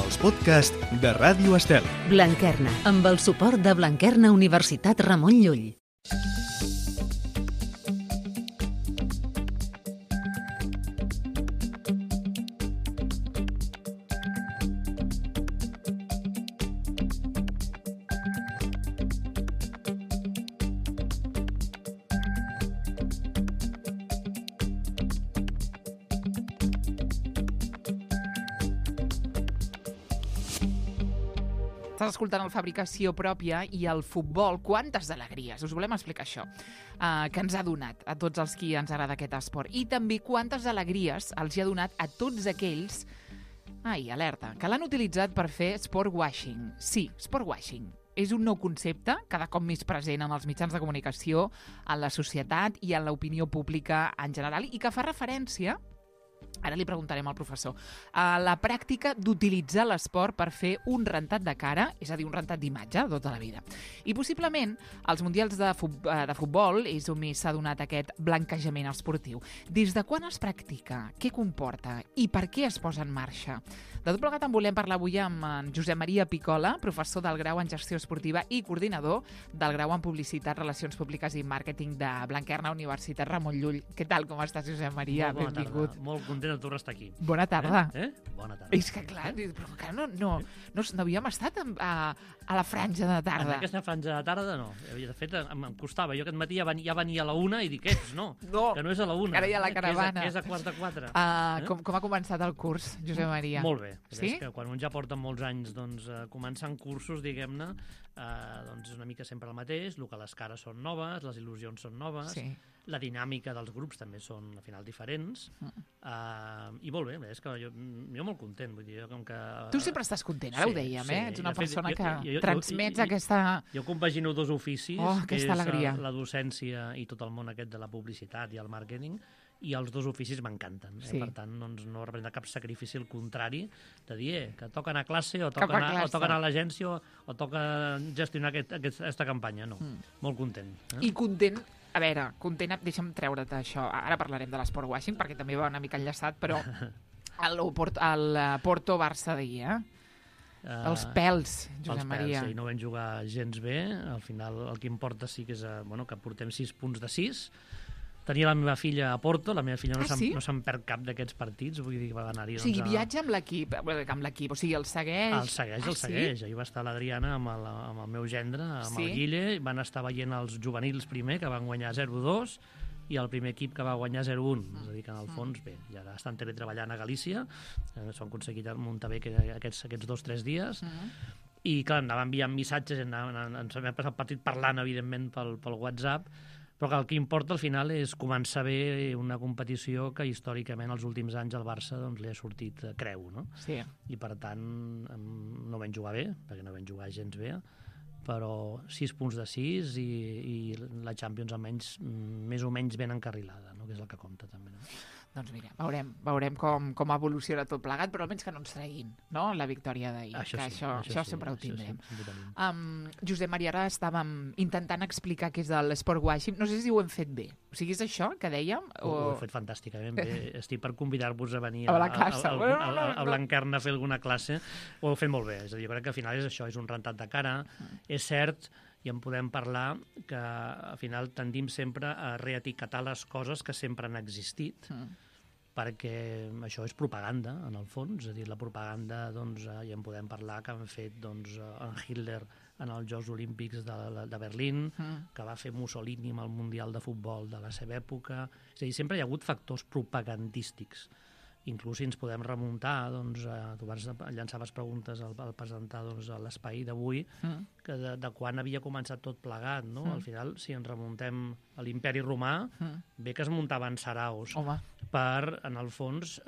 els podcasts de Ràdio Estel. Blanquerna, amb el suport de Blanquerna Universitat Ramon Llull. Estàs escoltant el Fabricació Pròpia i el futbol. Quantes alegries! Us volem explicar això, que ens ha donat a tots els qui ens agrada aquest esport. I també quantes alegries els hi ha donat a tots aquells, alerta, que l'han utilitzat per fer sport washing. Sí, sport washing. És un nou concepte, cada cop més present en els mitjans de comunicació, en la societat i en l'opinió pública en general, i que fa referència, ara li preguntarem al professor, a la pràctica d'utilitzar l'esport per fer un rentat de cara, és a dir, un rentat d'imatge tota la vida. I possiblement als mundials de futbol és on més s'ha donat aquest blanquejament esportiu. Des de quan es practica? Què comporta? I per què es posa en marxa? De tot plegat en volem parlar avui amb en Josep Maria Picola, professor del grau en Gestió Esportiva i coordinador del grau en Publicitat, Relacions Públiques i Màrqueting de Blanquerna Universitat Ramon Llull. Què tal, com estàs, Josep Maria? Molt bona Benvingut. tarda. Molt content de tornar a estar aquí. Bona tarda. Bona tarda. És que, clar, però encara no havíem estat a la franja de tarda. En aquesta franja de tarda, no. De fet, em costava. Jo aquest matí ja venia a la 1 i dic, no, que no és a la 1. Ara hi ha la caravana. Que és a quart de 4. Com ha començat el curs, Josep Maria? Molt bé. Sí? És que quan un ja porta molts anys començant cursos, diguem-ne, és una mica sempre el mateix, el que les cares són noves, les il·lusions són noves, Sí. la dinàmica dels grups també són, al final, diferents, i molt bé, és que jo molt content, vull dir, com que... Tu sempre estàs content, ara ho dèiem, sí. Ets una De fet, persona que jo transmets aquesta... Jo compagino dos oficis, que és aquesta alegria. la docència i tot el món aquest de la publicitat i el màrqueting, i els dos oficis m'encanten. Sí. Per tant, no representa cap sacrifici, al contrari, de dir que toca anar a classe o toca anar a l'agència o toca gestionar aquesta campanya. No, molt content. I content, a veure, deixa'm treure't això. Ara parlarem de l'esport washing, perquè també va una mica enllaçat, però el Porto-Barça d'ahir, els pèls, Josep Maria. Sí, no vam jugar gens bé. Al final, el que importa sí que és que portem 6 punts de 6. Tenia la meva filla a Porto, la meva filla no se'n perd cap d'aquests partits, vull dir que va anar-hi... O sigui, viatja amb l'equip, o sigui, el segueix... El segueix. Ahir va estar l'Adriana amb el meu gendre, amb el Guille, van estar veient els juvenils primer, que van guanyar 0-2, i el primer equip que va guanyar 0-1. És a dir, que en el fons, bé, ja estan teletreballant a Galícia, s'ho han aconseguit muntar bé aquests 2 o 3 dies, i clar, anava enviant missatges, ens vam passar el partit parlant, evidentment, pel WhatsApp, però que el que importa al final és començar bé una competició que històricament els últims anys al Barça li ha sortit creu, no? Sí. I per tant no vam jugar bé, perquè no vam jugar gens bé, però 6 punts de 6 i la Champions almenys més o menys ben encarrilada, no? Que és el que compta també, no? Doncs mira, veurem com evoluciona tot plegat, però almenys que no ens treguin, no?, la victòria d'ahir. Això sempre ho tindrem. Josep Maria, ara estàvem intentant explicar què és l'esport washing. No sé si ho hem fet bé. O sigui, és això que dèiem? Ho he fet fantàsticament bé. Estic per convidar-vos a venir a la classe. A Blanquerna a fer alguna classe. Ho heu fet molt bé. És a dir, jo crec que al final és això, és un rentat de cara. És cert, i en podem parlar, que al final tendim sempre a reetiquetar les coses que sempre han existit, perquè això és propaganda, en el fons. És a dir, la propaganda, ja en podem parlar, que han fet en Hitler en els Jocs Olímpics de Berlín, que va fer Mussolini amb el Mundial de Futbol de la seva època. És a dir, sempre hi ha hagut factors propagandístics. Inclús si ens podem remuntar, tu llançaves preguntes al presentar l'espai d'avui, que de quan havia començat tot plegat, no? Al final, si ens remuntem a l'imperi romà, bé que es muntaven saraus per, en el fons,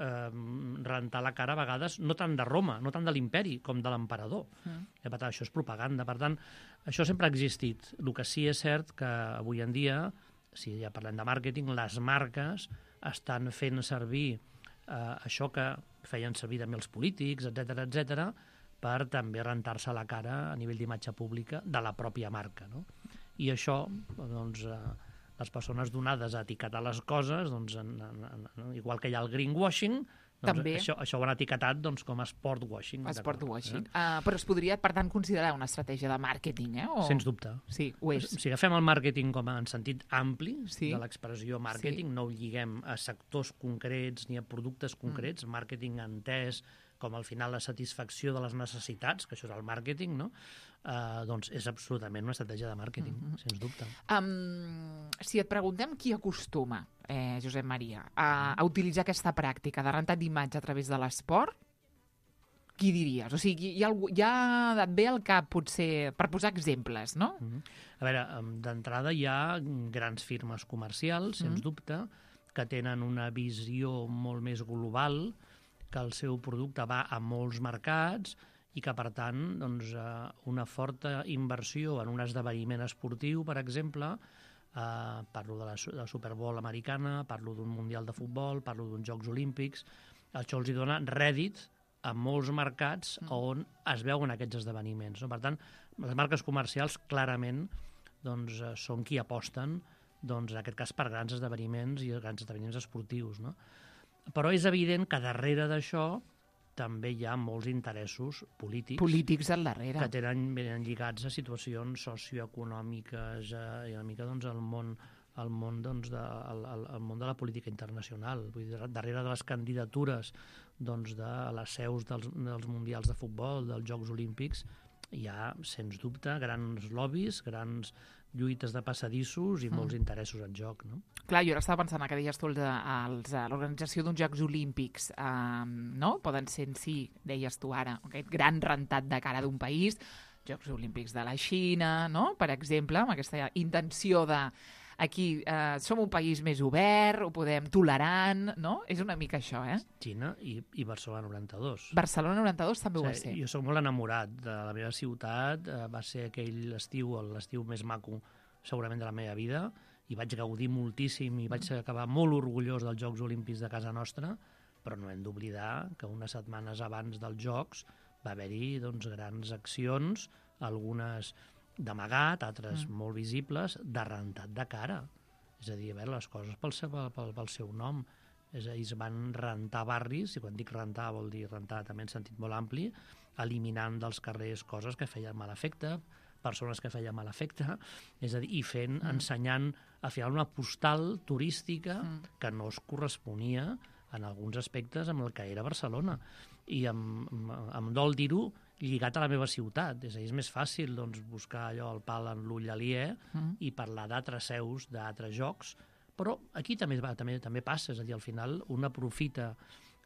rentar la cara a vegades, no tant de Roma, no tant de l'imperi, com de l'emperador. Per tant, això és propaganda. Per tant, això sempre ha existit. El que sí és cert que avui en dia, si ja parlem de màrqueting, les marques estan fent servir això que feien servir també els polítics, etc, per també rentar-se la cara a nivell d'imatge pública de la pròpia marca, no? I això, les persones donades a etiquetar les coses, igual que hi ha el greenwashing, També. Això ho han etiquetat com a sport washing. Sport washing. Però es podria, per tant, considerar una estratègia de màrqueting, Sens dubte. Sí, ho és. Si agafem el màrqueting en sentit ampli Sí. de l'expressió màrqueting, no ho lliguem a sectors concrets ni a productes concrets, màrqueting entès com al final la satisfacció de les necessitats, que això és el màrqueting, no? Doncs és absolutament una estratègia de màrqueting, sens dubte. Si et preguntem qui acostuma, Josep Maria, a utilitzar aquesta pràctica de rentat d'imatge a través de l'esport, qui diries? O sigui, ja et ve al cap, potser, per posar exemples, no? A veure, d'entrada hi ha grans firmes comercials, sens dubte, que tenen una visió molt més global, que el seu producte va a molts mercats i que, per tant, doncs, una forta inversió en un esdeveniment esportiu, per exemple, parlo de la Super Bowl americana, parlo d'un Mundial de Futbol, parlo d'uns Jocs Olímpics, això els dona rèdit a molts mercats on es veuen aquests esdeveniments. No? Per tant, les marques comercials clarament doncs, són qui aposten, doncs, en aquest cas, per grans esdeveniments i grans esdeveniments esportius. No? Però és evident que darrere d'això també hi ha molts interessos polítics al darrere. que venen lligats a situacions socioeconòmiques i una mica doncs, al món de la política internacional. Vull dir, darrere de les candidatures doncs, de les seus dels Mundials de Futbol, dels Jocs Olímpics, hi ha, sens dubte, grans lobbies, grans lluites de passadissos i molts interessos en joc, no? Clar, jo ara estava pensant que deies tu l'organització d'uns Jocs Olímpics, no? Poden ser en si, deies tu ara, aquest gran rentat de cara d'un país, Jocs Olímpics de la Xina, no? Per exemple, amb aquesta intenció de aquí som un país més obert, ho podem tolerant, no? És una mica això, Xina i Barcelona 92. Barcelona 92 també ho va ser. Jo soc molt enamorat de la meva ciutat, va ser aquell estiu, l'estiu més maco segurament de la meva vida, i vaig gaudir moltíssim i vaig acabar molt orgullós dels Jocs Olímpics de casa nostra, però no hem d'oblidar que unes setmanes abans dels Jocs va haver-hi doncs, grans accions, algunes d'amagat, altres molt visibles, de rentat de cara. És a dir, a veure, les coses pel seu nom. És a dir, es van rentar barris, i quan dic rentar vol dir rentar també en sentit molt ampli, eliminant dels carrers coses que feien mal efecte, persones que feien mal efecte, és a dir, i ensenyant al final una postal turística que no es corresponia en alguns aspectes amb el que era Barcelona. I em dol dir-ho, lligat a la meva ciutat. És a dir, és més fàcil doncs, buscar allò el pal en l'ull aliè i parlar d'altres seus, d'altres jocs, però aquí també passa, és a dir, al final un aprofita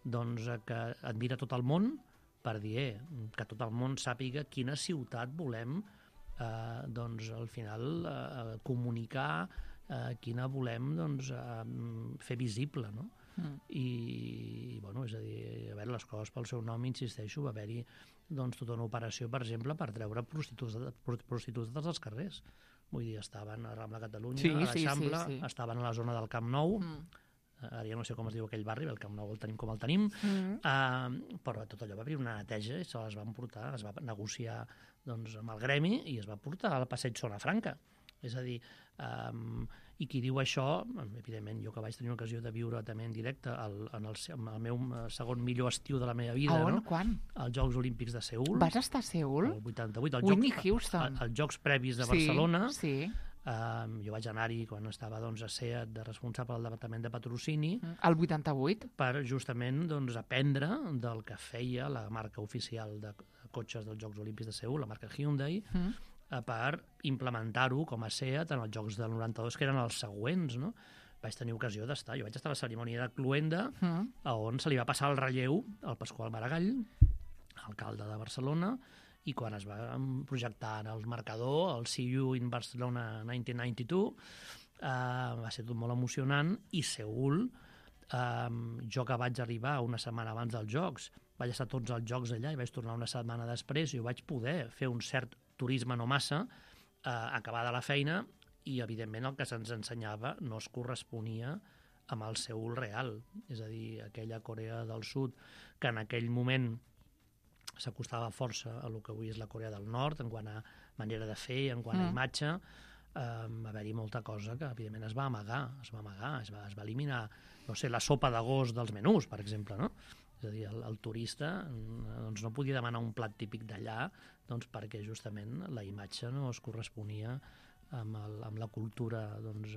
doncs, que admira tot el món per dir que tot el món sàpiga quina ciutat volem doncs, al final comunicar, quina volem doncs, fer visible, no? I, bueno, és a dir, a veure, les coses pel seu nom, insisteixo, va haver-hi doncs, tota una operació, per exemple, per treure prostitutes dels carrers. Vull dir, estaven a Rambla Catalunya, a l'Eixample, estaven a la zona del Camp Nou, ara ja no sé com es diu aquell barri, el Camp Nou el tenim com el tenim, però tot allò va haver una neteja i se les van portar, es va negociar doncs, amb el gremi i es va portar al passeig Zona Franca. És a dir, i qui diu això, evidentment, jo que vaig tenir l'ocasió de viure també en directe en el meu segon millor estiu de la meva vida. On? No? Quan? Els Jocs Olímpics de Seül. Vas estar a Seül? El 88. Whitney Houston. Els Jocs previs de Barcelona. Sí. Jo vaig anar-hi quan estava doncs, a SEAT de responsable del departament de patrocini. El 88? Per justament doncs, aprendre del que feia la marca oficial de cotxes dels Jocs Olímpics de Seül, la marca Hyundai, per implementar-ho com a SEAT en els Jocs del 92, que eren els següents, no? Vaig tenir ocasió d'estar. Jo vaig estar a la cerimònia de Cluenda, on se li va passar el relleu al Pasqual Maragall, alcalde de Barcelona, i quan es va projectar el marcador, el See You in Barcelona 1992, va ser tot molt emocionant, i Seül, jo que vaig arribar una setmana abans dels Jocs, vaig estar tots els Jocs allà i vaig tornar una setmana després i ho vaig poder fer un cert turisme no massa, acabar de la feina, i evidentment el que se'ns ensenyava no es corresponia amb el Seül real, és a dir, aquella Corea del Sud que en aquell moment s'acostava força a el que avui és la Corea del Nord en quant a manera de fer, en quant a imatge, va haver-hi molta cosa que, evidentment, es va amagar, es va eliminar, no sé, la sopa d'agost dels menús, per exemple, no? És a dir, el turista doncs, no podia demanar un plat típic d'allà doncs, perquè justament la imatge no es corresponia amb la cultura doncs,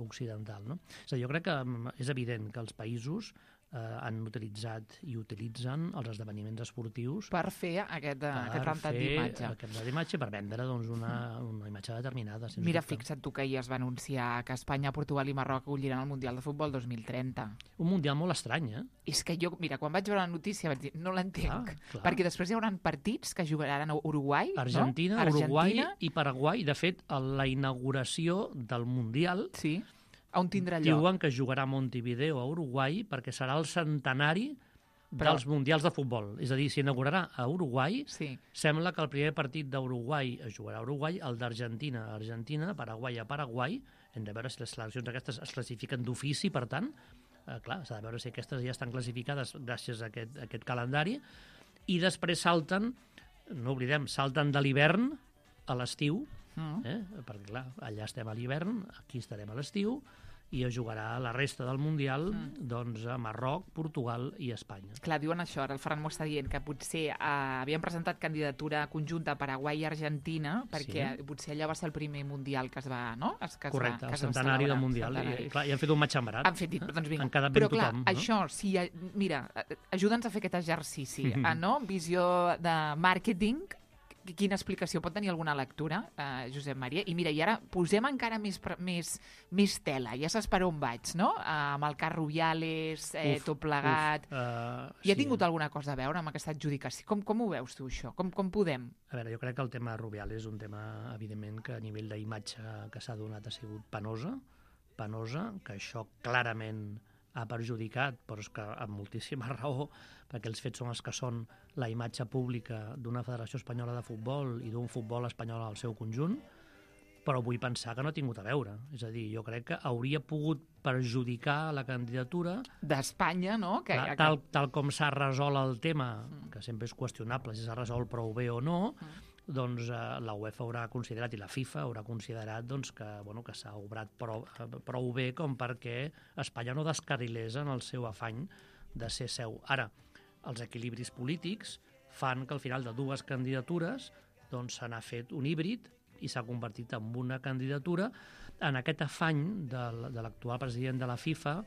occidental. No? És a dir, jo crec que és evident que els països han utilitzat i utilitzen els esdeveniments esportius per fer aquest rentat d'imatge. Aquest rentat d'imatge per vendre doncs, una imatge determinada. Mira, fixa't tu que ahir es va anunciar que Espanya, Portugal i Marroc acolliran el Mundial de Futbol 2030. Un Mundial molt estrany, eh? És que jo, mira, quan vaig veure la notícia vaig dir, no l'entenc, Clar. perquè després hi haurà partits que jugaran a Uruguai, Argentina, no? Uruguai i Paraguai. De fet, la inauguració del Mundial sí. On tindrà lloc? Diuen que jugarà a Montevideo, a Uruguai, perquè serà el centenari dels Mundials de futbol. És a dir, s'inaugurarà a Uruguai. Sí. Sembla que el primer partit d'Uruguai es jugarà a Uruguai, el d'Argentina a Argentina, Paraguai a Paraguai. Hem de veure si les seleccions aquestes es classifiquen d'ofici, per tant, clar, s'ha de veure si aquestes ja estan classificades gràcies a aquest calendari. I després salten, no oblidem, salten de l'hivern a l'estiu, perquè clar, allà estem a l'hivern, aquí estarem a l'estiu, i es jugarà la resta del Mundial doncs, a Marroc, Portugal i Espanya. Clar, diuen això, ara el Ferran m'ho està dient, que potser havien presentat candidatura conjunta a Paraguai i Argentina, perquè potser allò va ser el primer Mundial que es va, no? Correcte, el centenari del Mundial. I han fet un matxembrat. Han fet, doncs vinga. Han quedat ben però clar, tothom. Això, si, mira, ajuda'ns a fer aquest exercici, no? Visió de màrqueting. Quina explicació pot tenir alguna lectura, Josep Maria? I mira, i ara posem encara més tela, ja saps per on vaig, no? Amb el cas Rubiales, tot plegat. I ha tingut alguna cosa a veure amb aquesta adjudicació? Com ho veus tu, això? Com podem? A veure, jo crec que el tema Rubiales és un tema, evidentment, que a nivell d'imatge que s'ha donat ha sigut penosa, que això clarament ha perjudicat, però és que amb moltíssima raó, perquè els fets són els que són la imatge pública d'una Federació Espanyola de Futbol i d'un futbol espanyol al seu conjunt, però vull pensar que no ha tingut a veure. És a dir, jo crec que hauria pogut perjudicar la candidatura d'Espanya, no? Tal com s'ha resolt el tema, que sempre és qüestionable si s'ha resolt prou bé o no, doncs la UEFA haurà considerat i la FIFA haurà considerat doncs, que s'ha obrat prou bé com perquè Espanya no descarrilés en el seu afany de ser seu. Ara, els equilibris polítics fan que al final de dues candidatures doncs, se n'ha fet un híbrid i s'ha convertit en una candidatura en aquest afany de l'actual president de la FIFA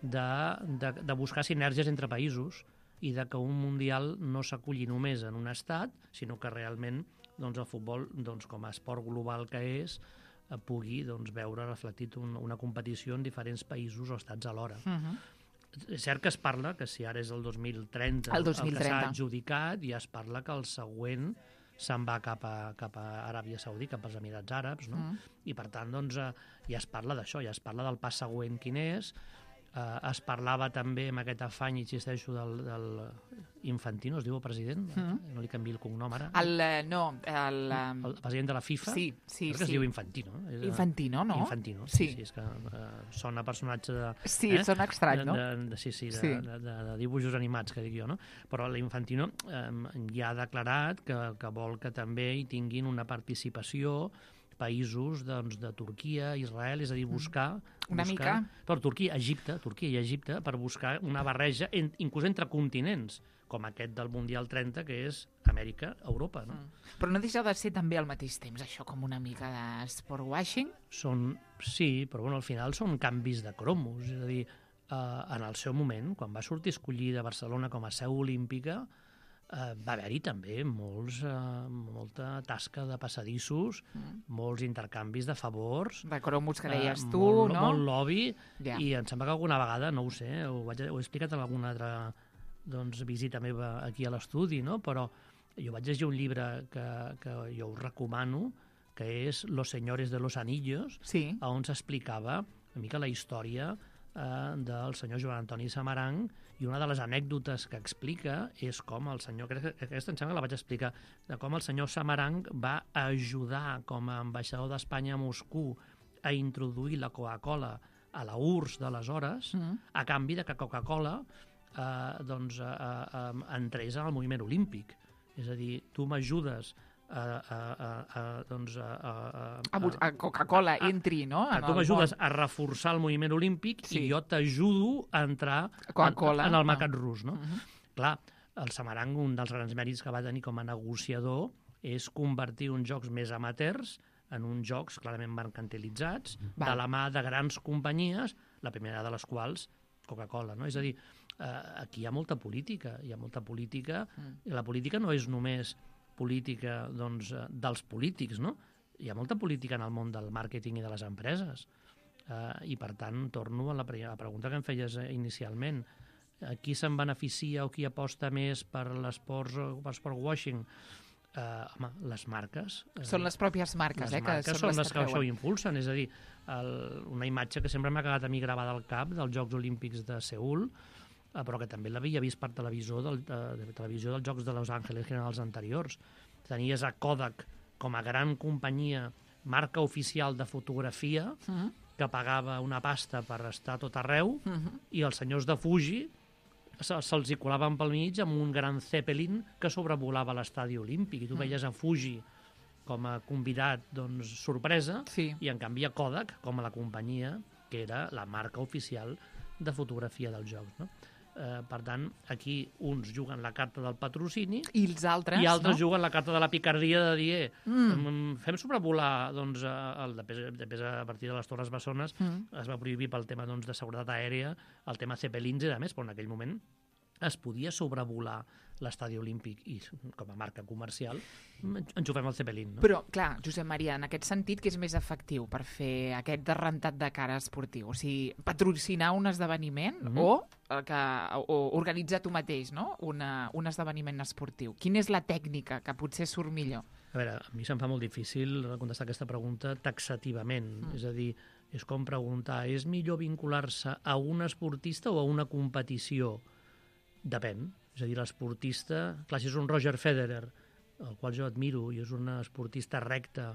de buscar sinergies entre països i de que un Mundial no s'aculli només en un estat, sinó que realment doncs, el futbol, doncs, com a esport global que és, pugui doncs, veure reflectit una competició en diferents països o estats alhora. És cert que es parla que si ara és el 2030 el que s'ha adjudicat, ja es parla que el següent se'n va cap a Aràbia Saudita, cap als Emirats Àrabs, no? I per tant doncs, ja es parla d'això, ja es parla del pas següent quin és. Es parlava també amb aquest afany, insisteixo, del Infantino, es diu el president? No li canviï el cognom ara. El president de la FIFA? Sí. Crec que es diu Infantino. Infantino, no? Infantino, sí, és que sona personatge de... Sí, sona estrany, no? De dibuixos animats, que dic jo, no? Però l'Infantino ja ha declarat que vol que també hi tinguin una participació països doncs, de Turquia, Israel, és a dir, buscar mica per Turquia i Egipte, per buscar una barreja inclús entre continents, com aquest del Mundial 30, que és Amèrica, Europa. No? Però no deixa de ser també al mateix temps això com una mica d'esport washing? Sí, però al final són canvis de cromos, és a dir, en el seu moment, quan va sortir escollida Barcelona com a seu olímpica, va haver-hi també molta tasca de passadissos, molts intercanvis de favors. De cromos que deies tu, no? Molt lobby, i em sembla que alguna vegada, no ho sé, ho he explicat en alguna altra visita meva aquí a l'estudi, no? Però jo vaig llegir un llibre que jo us recomano, que és Los señores de los anillos, on s'explicava una mica la història del senyor Joan Antoni Samaranch, i una de les anècdotes que explica és com el senyor, crec que aquesta em sembla que la vaig explicar, de com el senyor Samaranch va ajudar com a ambaixador d'Espanya a Moscou a introduir la Coca-Cola a la URSS d'aleshores, a canvi de que Coca-Cola entrés en el moviment olímpic. És a dir, tu m'ajudes A Coca-Cola entri, no? Tu m'ajudes a reforçar el moviment olímpic i jo t'ajudo a entrar en el mercat rus, no? Clar, el Samarang, un dels grans mèrits que va tenir com a negociador és convertir uns jocs més amateurs en uns jocs clarament mercantilitzats, de la mà de grans companyies, la primera de les quals Coca-Cola, no? És a dir, aquí hi ha molta política, i la política no és només política dels polítics, no? Hi ha molta política en el món del màrqueting i de les empreses. I, per tant, torno a la pregunta que em feies inicialment. Qui se'n beneficia o qui aposta més per l'esport washing? Home, les marques. Són les pròpies marques, les marques són les que això ho impulsen. És a dir, una imatge que sempre m'ha quedat a mi gravada al cap dels Jocs Olímpics de Seül, però que també l'havia vist per televisió dels Jocs de Los Angeles en els anteriors. Tenies a Kodak com a gran companyia, marca oficial de fotografia, que pagava una pasta per estar a tot arreu, i els senyors de Fuji se'ls hi colaven pel mig amb un gran Zeppelin que sobrevolava l'estadi olímpic, i tu veies a Fuji com a convidat, sorpresa, i en canvi a Kodak com a la companyia que era la marca oficial de fotografia dels Jocs, no? Per tant, aquí uns juguen la carta del patrocini i els altres juguen la carta de la picardia de dir fem sobrevolar, després a partir de les Torres Bessones es va prohibir pel tema de seguretat aèria el tema Zeppelins i de més, però en aquell moment es podia sobrevolar l'estadi olímpic i com a marca comercial enxufem el Zeppelin, no? Però, clar, Josep Maria, en aquest sentit, què és més efectiu per fer aquest derrentat de cara esportiu? O sigui, patrocinar un esdeveniment o organitzar tu mateix, no? Un esdeveniment esportiu. Quina és la tècnica que potser surt millor? A veure, a mi se'm fa molt difícil contestar aquesta pregunta taxativament. És a dir, és com preguntar, és millor vincular-se a un esportista o a una competició? Depèn. És a dir, l'esportista... Clar, si és un Roger Federer, el qual jo admiro, i és un esportista recte,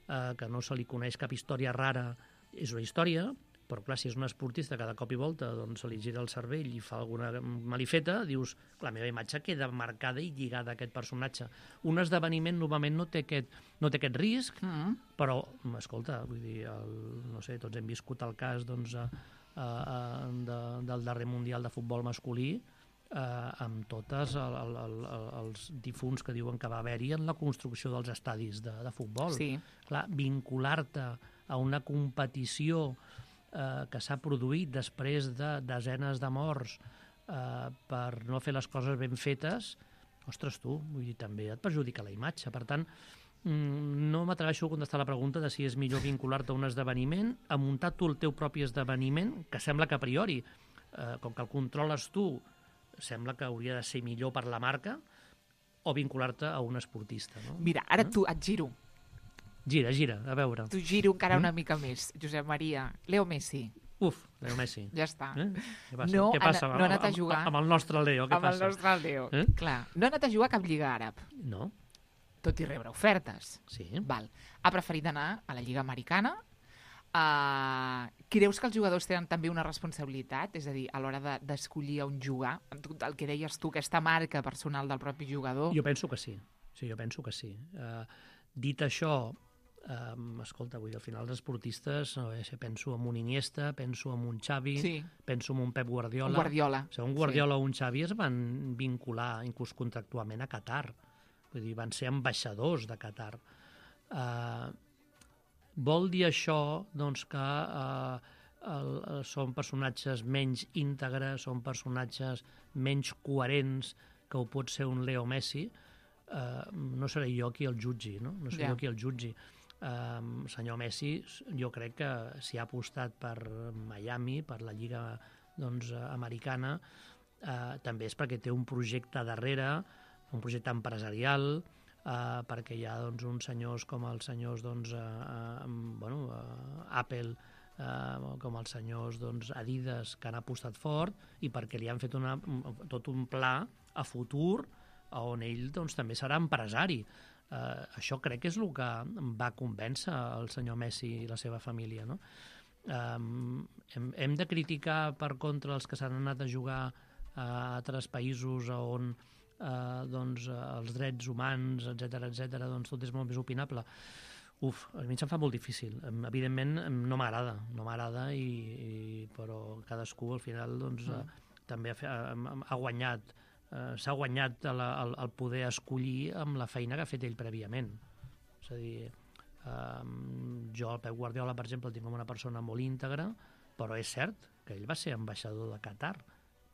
que no se li coneix cap història rara, és una història, però clar, si és un esportista que de cop i volta se li gira el cervell i fa alguna malifeta, dius, la meva imatge queda marcada i lligada a aquest personatge. Un esdeveniment normalment no té aquest risc, però, escolta, vull dir, no sé, tots hem viscut el cas del darrer Mundial de Futbol masculí, amb tots els difunts que diuen que va haver-hi en la construcció dels estadis de futbol. Sí. Clar, vincular-te a una competició que s'ha produït després de desenes de morts per no fer les coses ben fetes, ostres, vull dir, també et perjudica la imatge. Per tant, no m'atreveixo a contestar la pregunta de si és millor vincular-te a un esdeveniment, a muntar tu el teu propi esdeveniment, que sembla que a priori, com que el controles tu, sembla que hauria de ser millor per la marca, o vincular-te a un esportista, no? Mira, ara tu et giro. Gira, a veure. Tu giro encara una mica més, Josep Maria. Leo Messi. Uf, Leo Messi. Ja està. Què passa? No ha anat a jugar. Amb el nostre Leo, què passa? Amb el nostre Leo, clar. No ha anat a jugar a cap lliga àrab. No. Tot i rebre ofertes. Sí. Val. Ha preferit anar a la lliga americana. Creus que els jugadors tenen també una responsabilitat? És a dir, a l'hora d'escollir on jugar, el que deies tu, aquesta marca personal del propi jugador? Jo penso que sí. Sí, jo penso que sí. Dit això, escolta, vull dir, al final els esportistes, penso en un Iniesta, penso en un Xavi, penso en un Pep Guardiola. Un Guardiola. Un Guardiola o un Xavi es van vincular, inclús contractualment, a Qatar. Vull dir, van ser ambaixadors de Qatar. Vol dir això que són personatges menys íntegres, són personatges menys coherents que ho pot ser un Leo Messi? No seré jo qui el jutgi, no? No seré jo qui el jutgi. Senyor Messi, jo crec que si ha apostat per Miami, per la lliga americana, també és perquè té un projecte darrere, un projecte empresarial, perquè hi ha uns senyors com els senyors Apple, com els senyors Adidas, que han apostat fort, i perquè li han fet tot un pla a futur on ell també serà empresari. Això crec que és el que va convèncer el senyor Messi i la seva família, no? Hem de criticar per contra els que s'han anat a jugar a altres països on doncs, els drets humans, etc, doncs tot és molt més opinable. A mi se'm fa molt difícil. Evidentment no m'agrada, però cadascú al final doncs, també ha guanyat, s'ha guanyat el poder escollir amb la feina que ha fet ell prèviament. És a dir, jo el Pep Guardiola, per exemple, el tinc com una persona molt íntegra, però és cert que ell va ser ambaixador de Qatar.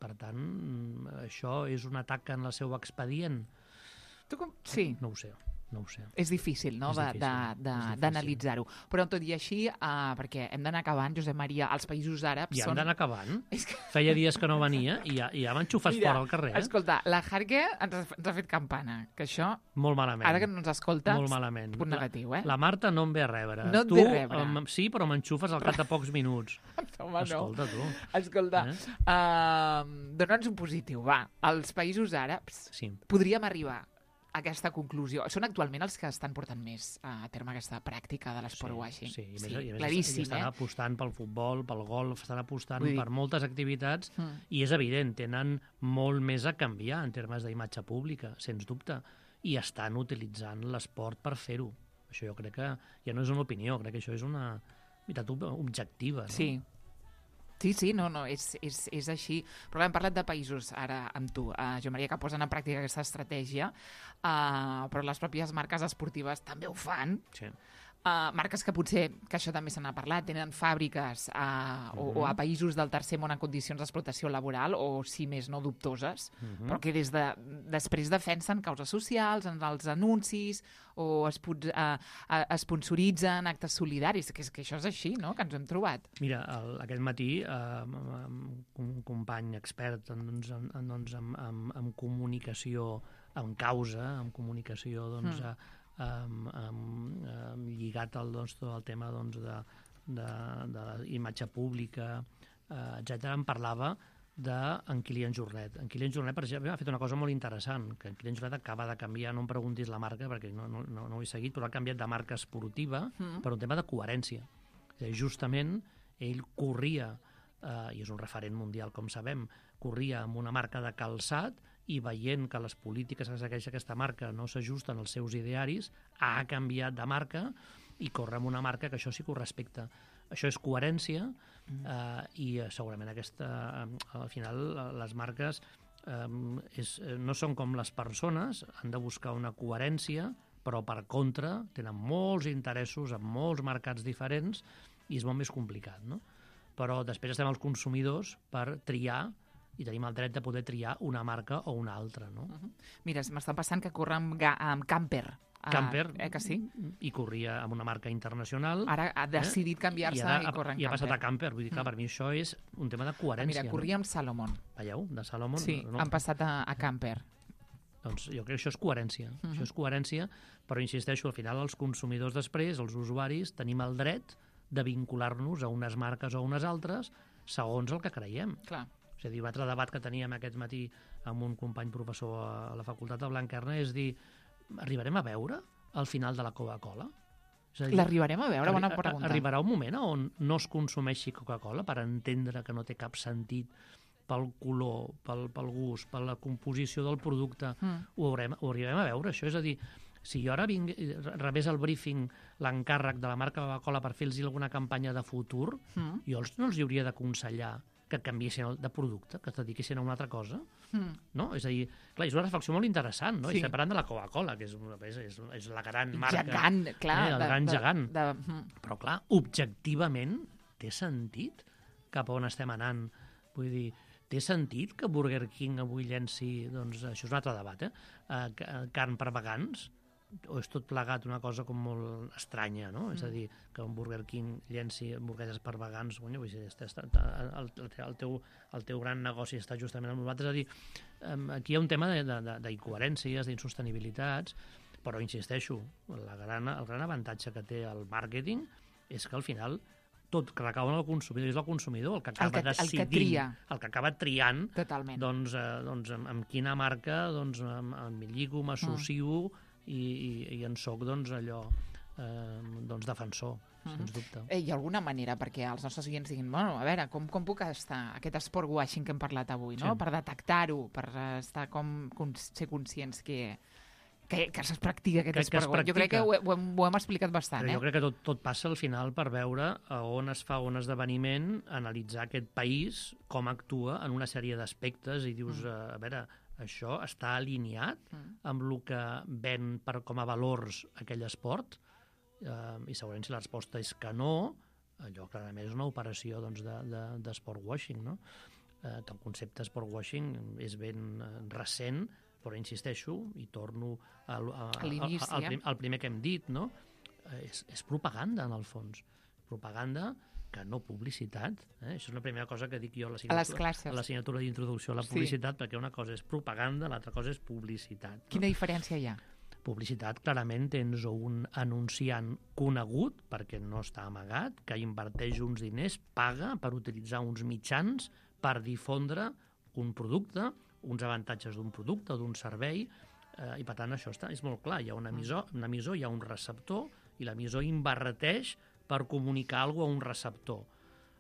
Per tant, això és un atac en el seu expedient? Sí. No ho sé. És difícil, no?, d'analitzar-ho. Però tot i així, perquè hem d'anar acabant, Josep Maria, els països àrabs ja són... hem d'anar acabant? Feia dies que no venia i ja m'enxufes fora al carrer. Escolta, la Jarque ens ha fet campana, que això... Molt malament. Ara que no ens escoltes, molt malament. Punt negatiu, La Marta no em ve a rebre. No et ve a rebre. Sí, però m'enxufes al cap de pocs minuts. Home, escolta, tu. Escolta, dona'ns un positiu, va. Els països àrabs podríem arribar a aquesta conclusió. Són actualment els que estan portant més a terme aquesta pràctica de l'esport washing. Sí, claríssim. Estan apostant pel futbol, pel golf, estan apostant per moltes activitats i és evident, tenen molt més a canviar en termes d'imatge pública, sens dubte, i estan utilitzant l'esport per fer-ho. Això jo crec que ja no és una opinió, crec que això és una veritat objectiva. No? Sí, no, és així. Però hem parlat de països ara amb tu, Joan Maria, que posen en pràctica aquesta estratègia, però les pròpies marques esportives també ho fan. Sí. Marques que potser, que això també se n'ha parlat, tenen fàbriques o a països del tercer món en condicions d'explotació laboral o, si més no, dubtoses, però que després defensen causes socials en els anuncis o esponsoritzen actes solidaris, que això és així, no?, que ens ho hem trobat. Mira, aquest matí un company expert en comunicació, en causa, en comunicació, doncs, lligat al tema de la imatge pública, etc. Em parlava d'en Kilian Jornet. En Kilian Jornet, per exemple, ha fet una cosa molt interessant, que en Kilian Jornet acaba de canviar, no em preguntis la marca, perquè no ho he seguit, però ha canviat de marca esportiva per un tema de coherència. Justament, ell corria, i és un referent mundial, com sabem, corria amb una marca de calçat i veient que les polítiques que segueix aquesta marca no s'ajusten als seus idearis, ha canviat de marca i corre amb una marca que això sí que ho respecta. Això és coherència i segurament al final les marques no són com les persones, han de buscar una coherència, però per contra tenen molts interessos en molts mercats diferents i és molt més complicat, no? Però després estem els consumidors per triar i tenim el dret de poder triar una marca o una altra, no? Mira, m'està passant que corre amb Camper. Camper, que sí? I corria amb una marca internacional. Ara ha decidit canviar-se i corre en Camper. I ha passat a Camper. Vull dir, clar, per mi això és un tema de coherència. Mira, corria amb Salomon. Veieu? De Salomon. Sí, han passat a Camper. Doncs jo crec que això és coherència. Això és coherència, però insisteixo, al final els consumidors després, els usuaris, tenim el dret de vincular-nos a unes marques o a unes altres segons el que creiem. Clar. És a dir, un altre debat que teníem aquest matí amb un company professor a la Facultat de Blanquerna és dir, arribarem a veure al final de la Coca-Cola? L'arribarem a veure? Bona pregunta. Arribarà un moment on no es consumeixi Coca-Cola per entendre que no té cap sentit pel color, pel gust, per la composició del producte. Ho arribarem a veure, això? És a dir, si jo ara rebés el briefing, l'encàrrec de la marca Coca-Cola per fer-los alguna campanya de futur, jo no els hauria d'aconsellar que canviessin de producte, que es dediquessin a una altra cosa. No? És a dir, clar, és una reflexió molt interessant, no? Estem parlant de la Coca-Cola, que és la gran marca. Gegant, clar. El gran gegant. Però, clar, objectivament té sentit cap a on estem anant. Vull dir, té sentit que Burger King avui llenci, doncs, això és un altre debat, carn per vegans? O és tot plegat una cosa com molt estranya, no? És a dir, que un Burger King llenci hamburgueses per vegans, vull dir, el teu gran negoci està justament amb nosaltres. És a dir, aquí hi ha un tema d'incoherències, d'insostenibilitats, però insisteixo, el gran avantatge que té el màrqueting és que al final tot recau en el consumidor, és el consumidor el que acaba decidint, el que acaba triant, doncs amb quina marca em lligo, m'associo i en soc, doncs, allò defensor, sens dubte. Hi ha alguna manera perquè els nostres oients diguin, bueno, a veure, com puc estar aquest sport washing que hem parlat avui, no? Sí. Per detectar-ho, per estar ser conscients que es practica aquest sport washing. Jo crec que ho hem explicat bastant, Però jo crec que tot passa al final per veure on es fa un esdeveniment, analitzar aquest país, com actua en una sèrie d'aspectes i dius, a veure, això està alineat amb el que ven com a valors aquell esport, i segurament si la resposta és que no, allò clarament és una operació de sport washing, no? Que el concepte sport washing és ben recent, però insisteixo i torno al primer que hem dit, no? És propaganda en el fons, propaganda que no publicitat. Això és la primera cosa que dic jo a l'assignatura d'introducció a la publicitat, perquè una cosa és propaganda, l'altra cosa és publicitat. Quina diferència hi ha? Publicitat, clarament tens un anunciant conegut, perquè no està amagat, que inverteix uns diners, paga per utilitzar uns mitjans per difondre un producte, uns avantatges d'un producte o d'un servei, i per tant això és molt clar. Hi ha un emissor, hi ha un receptor, i l'emissor inverteix per comunicar alguna cosa a un receptor.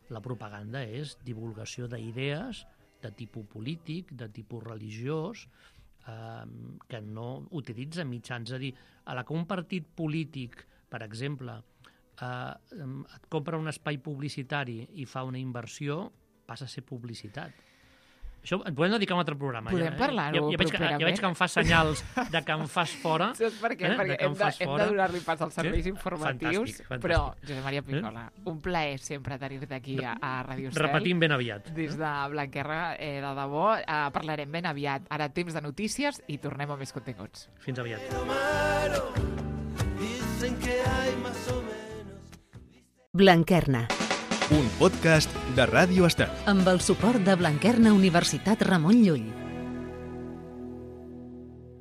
La propaganda és divulgació d'idees de tipus polític, de tipus religiós, que no utilitza mitjans. És a dir, a la que un partit polític, per exemple, et compra un espai publicitari i fa una inversió, passa a ser publicitat. Això et podem dedicar a un altre programa. Podem parlar-ho properament. Ja veig que em fas senyals de que em fas fora. Saps per què? Perquè hem de donar-li pas als serveis informatius. Fantàstic. Però, Josep Maria Pincola, un plaer sempre tenir-te aquí a Ràdio Estel. Repetim ben aviat. Des de Blanquerna, de debò. Parlarem ben aviat. Ara temps de notícies i tornem a més continguts. Fins aviat. Blanquerna. Un podcast de Ràdio Estel. Amb el suport de Blanquerna Universitat Ramon Llull.